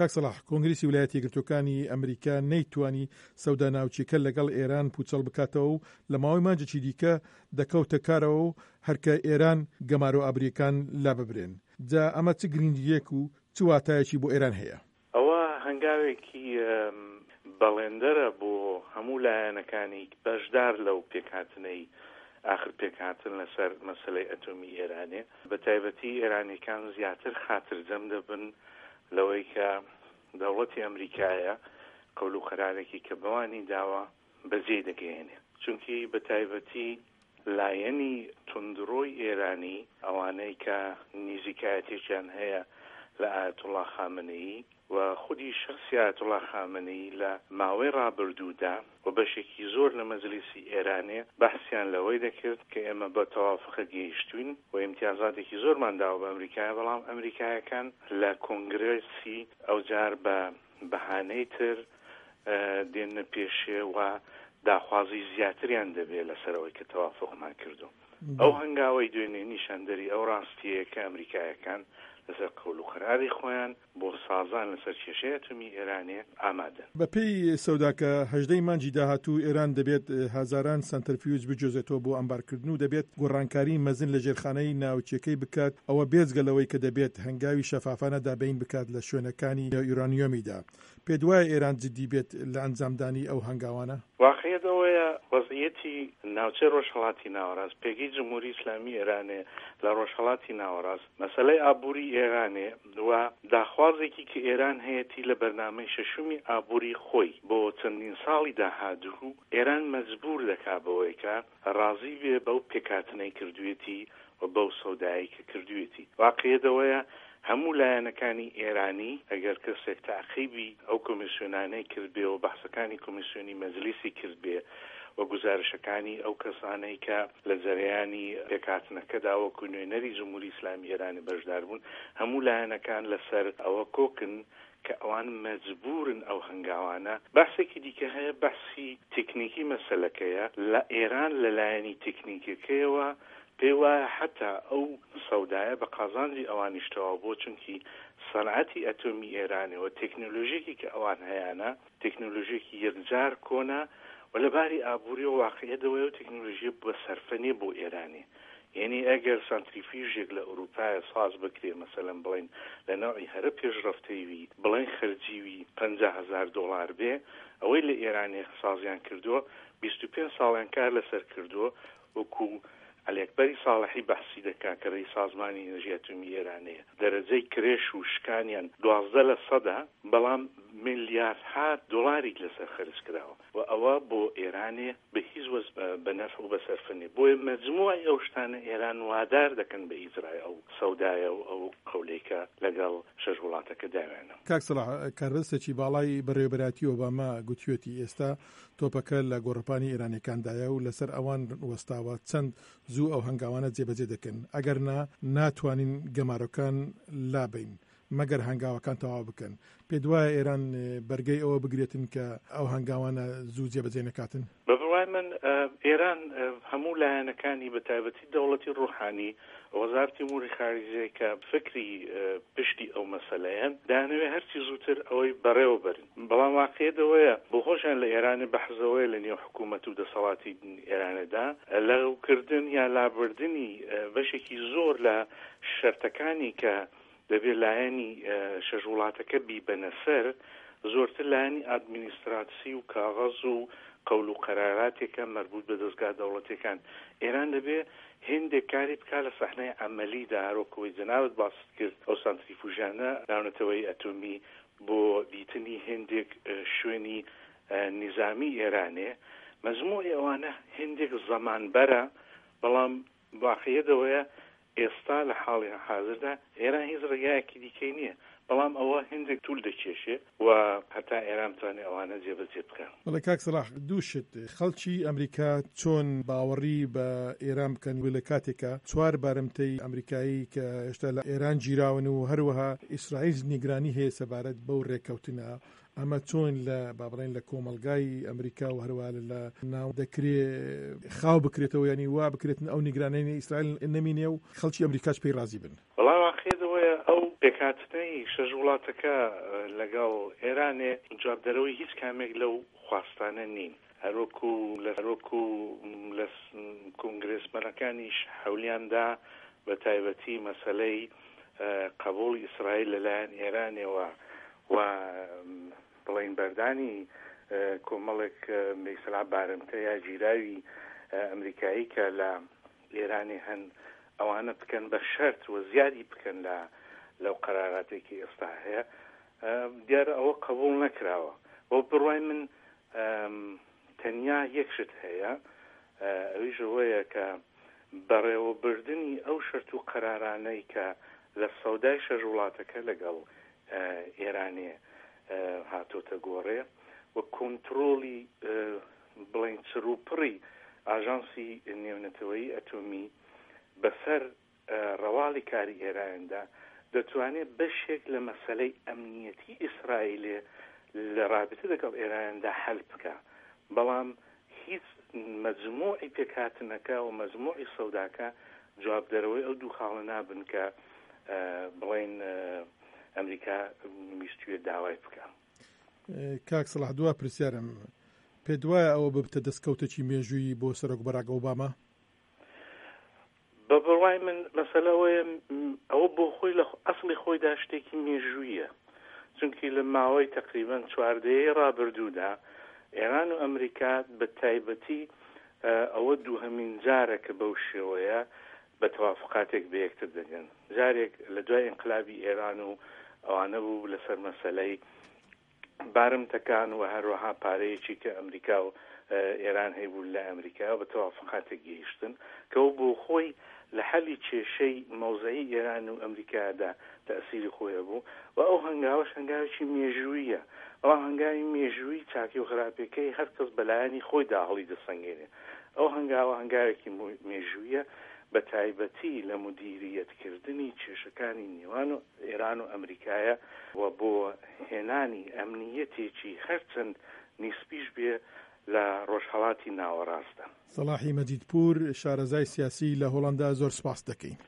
کاک سەڵاح، کۆنگرێسی ویلایەتە یەکگرتووەکانی ئەمریکا نەیتوانی سەودا ناوکییەکە لەگەڵ ئێران پووچەڵ بکاتەوە و لە ماوەی مانگێکی دیکە دەکەوتە کارەوە و هەرکە ئێران گەمارۆ ئابوورییەکان لاببرێن. جا ئەمە چ گرنگییەک و چ واتایەکی بۆ ئێران هەیە؟ ئەوە هەنگاوێکی بەڵێندەرە بۆ هەموو لایەنەکانی بەشدار لەو پێکهاتنەی ئاخر پێکهاتن لەسەر مەسەلەی ئەتۆمی ئێرانێ. بە تایبەتی ئێرانیەکان زیاتر خاترجەم دەبن لەوەی کە دەوڵەتی ئەمریکایە قەول و قەرارێکی کە بەوانی داوە بەجێی دەگەیەنێ. چونکی بە تایبەتی لایەنی توندڕۆی ئێرانی، ئەوانەی کە نیزیکایەتێکیان هەیە لە ئایەتوڵا خامنەیی و خودی شەخسی ئایەتوڵا خامنەیی لە ماوەی ڕابردوودا و بەشێکی زۆر لە مەجلیسی ئێرانێ بەحسیان لەوەی دەکرد کە ئێمە بە تەوافقە گەیشتووین و ئیمتیازاتێکی زۆرمان داوە بە ئەمریکایە بەڵام ئەمریکایەکان لە کۆنگرێسی ئەوجار بە بەهانەی تر دێننە پێشێ و داخوازی زیاتریان دەبێ لەسەر ئەوەی کە تەوافوقمان کردو. ئەو هەنگاوەی دوێنێ نیشاندەری ئەو ڕاستیەیە کە ئەمریکایەکان لەسەر قەول و قەراری خۆیان بۆ سازان لەسەر کێشەی ئەتۆمی ئێرانێ ئامادەن. بە پێی سەوداکە 18 ی مانگی داهاتوو ئێران دەبێت هەزاران سەنتەرفیوج بگوێزێتەوە بۆ ئەمبارکردن و دەبێت گۆڕانکاری مەزن لە ژێرخانەی ناوکیەکەی بکات، ئەوە بێجگە لەوەی کە دەبێت هەنگاوی شەفافانە دابین بکات لە شوێنەکانی یورانیۆمیدا. پێت وایە ئێران جدی بێت لە ئەنجامدانی ئەو هەنگاوانە؟ واقعیەت ئەوەیە وەزعیەتی ناوچەی ڕۆژهەڵاتی ناوەڕاست، پێگەی جمهوری ئیسلامی ئێرانێ لە ڕۆژهەڵاتی ناوەڕاست، مەسەلەی ئابووری ئێرانێ و داخوازێکی کە ئێران هەیەتی لە بەرنامەی شەشومی ئابووری خۆی بۆ چەندین ساڵی داهاتوو، ئێران مەجبوور دەکا بەوەی کە ڕازی بێ بەو پێکهاتنەی کردوویەتی و بەو سەودایەی کە کردوویەتی. واقعیەت ئەوەیە هەموو لایەنەکانی ئێرانی، ئەگەر کەسێک تەعقیبی ئەو کۆمیسیۆنانەی کردبێ و بەحسەکانی کۆمیسیۆنی مەجلیسی کردبێ و گوزارشەکانی ئەو کەسانەی کە لە جەرەیانی پێکهاتنەکەدا وەکوو نوێنەری جمهوری ئیسلامی ئێرانی بەشدار بوون، هەموو لایەنەکان لەسەر ئەوە کۆکن کە ئەوان مەجبوورن ئەو هەنگاوانە، بەحسێکی دیکە هەیە بەحسی تێکنیکی مەسەلەکەیە، لە ئێران لە لایەنی تێکنیکەکەیەوە پێی وایە حەتا ئەو سەودایە بە قازانجی ئەوانیش تەواو بووە چونکی سەنعەتی ئەتۆمی ئێرانێ و تێکنۆلۆژیەکی کە ئەوان هەیانە تێکنۆلۆژیەکی یەکجار کۆنە و لە باری ئابووریەوە واقعیەت ئەوەیە ئەو تێکنۆلۆژیە بە سەرفە نیە بۆ ئێرانێ یەنی ئەگەر سانتریفیوژێک لە ئورووپایە ساز بکرێ مەسەلەن بڵێین لە نەوعی هەرە پێشڕەفتەی وی بڵێن خەرجی وی 50 هەزار دۆڵار بێ ئەوەی لە ئێرانێ سازیان کردووە 25 ساڵیان کار لەسەر کردووە وەکوو عەلیئەکبەری ساڵحی بەحسی دەکا کە رەئیس سازمانی ئینرژی ئەتۆمی ئێرانەیە دەرەجەی کرێش و شکانیان 12 لە سەدە بەڵام میلیاردها دۆڵاری لەسەر خەرج کراوە و ئەوە بۆ ئێرانێ بە هیچ وەج بە نەفع و بە سەرفە نیە بۆیە مەجموعی ئەو شتانە ئێران وادار دەکەن بە ئیجرای ئەو سەودایە و ئەو قەولەی کە لەگەڵ شەش وڵاتەکە داویانە. کاک سەڵاح، کاربەدەستێکی باڵای بەڕێوەبەرایەتی ئۆباما گوتویەتی ئێستا تۆپەکە لە گۆڕەپانی ئێرانیەکاندایە و لەسەر ئەوان وەستاوە چەند زوو ئەو هەنگاوانە جێبەجێ دەکەن ئەگەرنا ناتوانین گەمارۆکان لابەین مەگەر هەنگاوەکان تەواو بکەن. پێت وایە ئێران بەرگەی ئەوە بگرێتن کە ئەو هەنگاوانە زوو جێبەجێ نەکاتن؟ بە بڕوای من ئێران هەموو لایەنەکانی بە تایبەتی دەوڵەتی ڕوحانی وەزارەتی ئوموری خارجیە کە فکری پشتی ئەو مەسەلەیەن دەیانەوێ هەرچی زووتر ئەوەی بەڕێوە بەرن بەڵام واقعیەت ئەوەیە بۆ خۆشیان لە ئێرانێ بەحس ئەوەیە لە نێو حکوومەت و دەسەڵاتی ئێرانێدا لەغوکردن یا لابردنی بەشێکی زۆر لە شەرتەکانی کە دەبێ لایەنی شەش وڵاتەکە بیبەنە سەر، زۆرتر لایەنی ئادمینیستراتسی و کاغەز و قەول و قەراراتێکە مەربووت بە دەزگا دەوڵەتیەکان. ئێران دەبێ هێندێک کاری بکا لە سەحنەی عەمەلی دا، هەروەک ئەوەی جەنابت باست کرد ئەو سانتریفوژانە ناونەتەوەیی ئەتۆمی بۆ دیتنی هێندێک شوێنی نیزامی ئێرانێ، مەجموعی ئەوانە هێندێک زەمانبەرە، بەڵام واقعیەت ئەوەیە ئێستا لە حاڵی حازردا ئێران هیچ ڕێگایەکی دیکەی نییە، بەڵام ئەوە هێندێک توول دەکێشێ و هەتا ئێران بتوانێ ئەوانە جێبەجێ بکا. بەڵێ کاک سەڵاح دوو شت، خەڵکی ئەمریکا چۆن باوەڕی بە ئێران بکەن و لە کاتێکا چوار بارمتەی ئەمریکایی کە هێشتا لە ئێران گیراون و هەروەها ئیسرائیل نیگرانی هەیە سەبارەت بەو رێککەوتنە ئەمە چۆن لە با بڵێین لە کۆمەڵگای ئەمریکا و هەروەها لە ناو دەکرێ خاو بکرێتەوە یانی وا بکرێتن ئەو نیگرانەی ئیسرائیل نەمینێ و خەڵکی ئەمریکاش پێی ڕازی بن. وەڵا واقیعیەت ئەوەیە ئەو پێکهاتنەی شەش وڵاتەکە لەگەڵ ئێرانێ جوابدەرەوەی هیچ کامێک لەو خواستانە نین. هەروەکو لە هەروەکو لە کۆنگرێسمەنەکانیش حەولیان دا بە تایبەتی مەسەلەی قەبووڵی ئیسرائیل لە لایەن ئێرانێوە و بڵێین بەردانی کۆمەڵێک بە بارمتە یا گیراوی ئەمریکایی کە لە ئێرانێ هەن ئەوانە بکەن بە شەرت و زیادی بکەن لە لەو قەراراتێکی ئێستا هەیە دیارە ئەوە قبوڵ نەکراوە. بۆ بڕوای من تەنیا یەک شت هەیە ئەویش ئەوەیە کە بەڕێوەبردنی ئەو شەرت و قەرارانەی کە لە سەودای شەش وڵاتەکە لەگەڵ ئێرانێ هاتۆتە گۆڕێ و کۆنترۆڵی بڵێین چڕوپڕی ئاژانسی نێونەتەوەیی ئەتۆمی بەسەر ڕەواڵی کاری ئێراندا دەتوانێ بەشێک لە مەسەلەی ئەمنیەتی ئیسرائیلێ لە ڕابتە دەگەڵ ئێراندا حەل بکا بەڵام هیچ مەجموعی پێکهاتنەکە و مەجموعی سەوداکە جوابدەرەوەی ئەو دوو خاڵە نابن کە بڵێین ئەمریکا ویستویە داوای بکا. کاک سەڵاح دوا پرسیارم، پێت وایە ئەوە ببتە دەستکەوتێکی مێژوویی بۆ سەرۆک باراک ئۆباما؟ بە بڕوای من مەسەلە ئەوەیە ئەوە بۆ خۆی لە ئەسڵی خۆیدا شتێکی مێژوویە چونکی لە ماوەی تەقریبەن چوار دەیەی ڕابردوودا ئێران و ئەمریکا بە تایبەتی ئەوە دووهەمین جارە کە بەو شێوەیە بە تەوافقاتێک بە یەکتر دەگەن جارێک لە دوای ئینقلابی ئێران و ئەوانە بوو لەسەر مەسەلەی بارمتەکان و هەروەها پارەیەکی کە ئەمریکا و ئێران هەیبوو لە ئەمریکا بە تەوافقاتێک گەیشتن کە ئەو بۆ خۆی لە حەلی کێشەی مەوزعی ئێران و ئەمریکادا تەئسیری خۆی هەبوو و ئەو هەنگاوەش هەنگاوێکی مێژوویە بەڵام هەنگاوی مێژووی چاکی و خراپیەکەی هەر کەس بەلایەنی خۆیدا هەڵیدەسەنگێنێ ئەو هەنگاوە هەنگاوێکی مێژوویە بە تایبەتی لە مودیریەت کردنی کێشەکانی نێوان و ئێران و ئەمریکایە و بۆ هێنانی ئەمنییەتێکی هەرچەند نیسبیش بێ لە ڕۆژهەڵاتی ناوەڕاستدا. سەڵاحی مەجیدپوور، شارەزای سیاسی لە هۆڵەندا زۆر سپاست دەکەین.